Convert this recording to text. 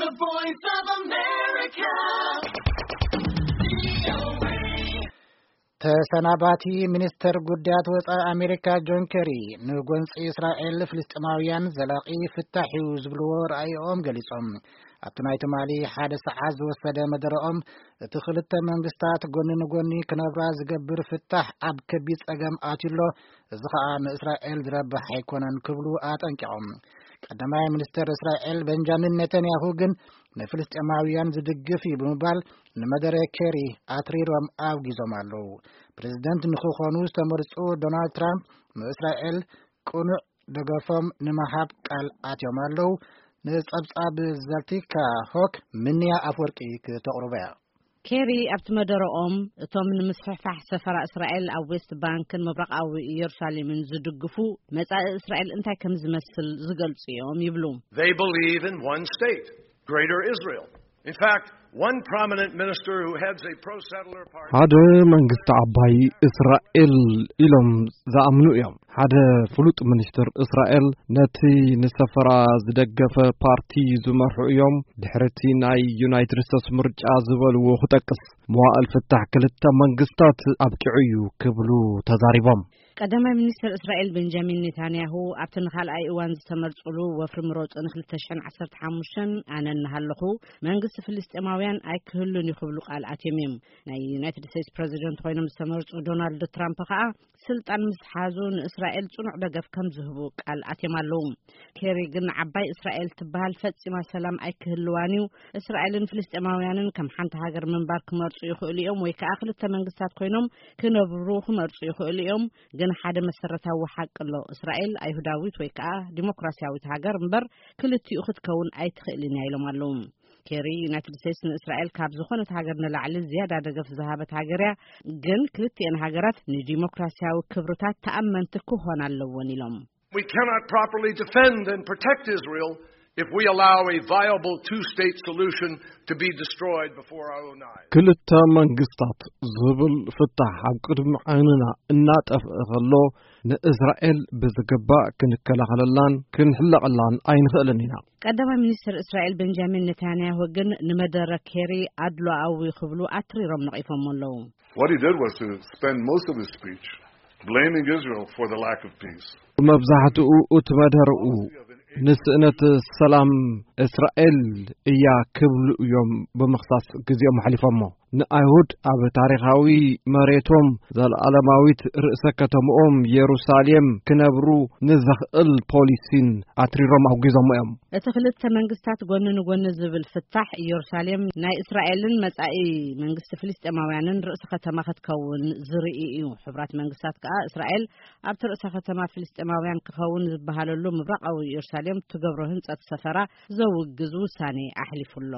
The Voice of America. ተሰናባቲ ሚኒስተር ጉዳያት ወጻኢ ኣሜሪካ ጆን ኬሪ ንጎንጺ እስራኤል ፍልስጤማውያን ዘላቒ ፍታሕ እዩ ዝብልዎ ረኣይኦም ገሊጾም። ኣብቲ ናይ ትማሊ ሓደ ሰዓት ዝወሰደ መደረኦም እቲ ክልተ መንግስታት ጎኒ ንጎኒ ክነብራ ዝገብር ፍታሕ ኣብ ከቢድ ጸገም ኣትዩሎ፣ እዚ ኸኣ ንእስራኤል ዝረብሕ ኣይኮነን ክብሉ ኣጠንቂቖም። ቀዳማይ ሚኒስተር እስራኤል ቤንጃሚን ኔታንያሁ ግን ንፍልስጤማውያን ዝድግፍ እዩ ብምባል ንመደረ ኬሪ ኣትሪሮም ኣውጊዞም ኣለዉ። ፕሬዚደንት ንክኾኑ ዝተመርጹ ዶናልድ ትራምፕ ንእስራኤል ቅኑዕ ደገፎም ንምሃብ ቃል ኣትዮም ኣለዉ። ንጸብጻብ ዘልቲካ ሆክ ምንያ ኣፍወርቂ ክተቕርቦ እያ። ኬሪ ኣብቲ መደረኦም እቶም ንምስፍሕፋሕ ሰፈራ እስራኤል ኣብ ዌስት ባንክን ምብራቓዊ ኢየሩሳሌምን ዝድግፉ መጻኢ እስራኤል እንታይ ከም ዝመስል ዝገልጹ እዮም ይብሉ። They believe in one state, Greater Israel. In fact, one prominent minister who heads a pro-settler party ሓደ መንግስቲ ዓባይ እስራኤል ኢሎም ዝኣምኑ እዮም። ሓደ ፍሉጥ ሚኒስትር እስራኤል ነቲ ንሰፈራ ዝደገፈ ፓርቲ ዝመርሑ እዮም። ድሕርቲ ናይ ዩናይትድ ስቴትስ ምርጫ ዝበልዎ ክጠቅስ፣ መዋእል ፍታሕ ክልተ መንግስታት ኣብቂዑ እዩ ክብሉ ተዛሪቦም። ቀዳማይ ሚኒስትር እስራኤል ቤንጃሚን ኔታንያሁ ኣብቲ ንኻልኣይ እዋን ዝተመርጹሉ ወፍሪ ምሮጽ ን ክልተ ሽሕን ዓሰርተ ሓሙሽተን ኣነ እናሃለኹ መንግስቲ ፍልስጤማውያን ኣይክህሉን እዩ ክብሉ ቃል ኣትዮም እዮም። ናይ ዩናይትድ ስቴትስ ፕሬዚደንት ኮይኖም ዝተመርጹ ዶናልድ ትራምፕ ከኣ ስልጣን ምስ ሓዙ ንእስራኤል ጽኑዕ ደገፍ ከም ዝህቡ ቃል ኣትዮም ኣለዉ። ኬሪ ግን ዓባይ እስራኤል ትበሃል ፈጺማ ሰላም ኣይክህልዋን እዩ። እስራኤልን ፍልስጤማውያንን ከም ሓንቲ ሃገር ምንባር ክመርጹ ይኽእሉ እዮም ወይ ከኣ ክልተ መንግስታት ኮይኖም ክነብሩ ክመርጹ ይኽእሉ እዮም። ግን ሓደ መሰረታዊ ሓቂ ኣሎ። እስራኤል ኣይሁዳዊት ወይ ከኣ ዲሞክራሲያዊት ሃገር እምበር ክልቲኡ ክትከውን ኣይትኽእልን እያ ኢሎም ኣለዉ። ኬሪ ዩናይትድ ስቴትስ ንእስራኤል ካብ ዝኾነት ሃገር ንላዕሊ ዝያዳ ደገፍ ዝሃበት ሃገር እያ። ግን ክልቲኤን ሃገራት ንዲሞክራሲያዊ ክብርታት ተኣመንቲ ክኾን ኣለዎን ኢሎም። We cannot properly defend and protect Israel if we allow a viable two-state solution to be destroyed before our own eyes. ክልተ መንግስታት ዝብል ፍታሕ ኣብ ቅድሚ ዓይንና እናጠፍአ ከሎ ንእስራኤል ብዝግባእ ክንከላኸለላን ክንሕለቐላን ኣይንኽእልን ኢና። ቀዳማይ ሚኒስትር እስራኤል ቤንጃሚን ኔታንያሁ ግን ንመደረ ኬሪ ኣድሎኣዊ ክብሉ ኣትሪሮም ነቒፎም ኣለዉ። What he did was to spend most of his speech blaming Israel for the lack of peace. መብዛሕትኡ እቲ መደርኡ ንስእነት ሰላም እስራኤል እያ ክብሉ እዮም ብምኽሳስ ግዜኦም ኣሕሊፎሞ። ንኣይሁድ ኣብ ታሪኻዊ መሬቶም፣ ዘለኣለማዊት ርእሰ ከተምኦም የሩሳሌም ክነብሩ ንዘኽእል ፖሊሲን ኣትሪሮም ኣውጊዞሞ እዮም። እቲ ክልተ መንግስታት ጎኒ ንጎኒ ዝብል ፍታሕ፣ ኢየሩሳሌም ናይ እስራኤልን መጻኢ መንግስቲ ፍልስጤማውያንን ርእሲ ከተማ ክትከውን ዝርኢ እዩ። ሕቡራት መንግስታት ከኣ እስራኤል ኣብቲ ርእሰ ከተማ ፍልስጤማውያን ክኸውን ዝበሃለሉ ምብራቓዊ ኢየሩሳሌም ትገብሮ ህንጸት ሰፈራ ዘውግዝ ውሳኔ ኣሕሊፉ ኣሎ።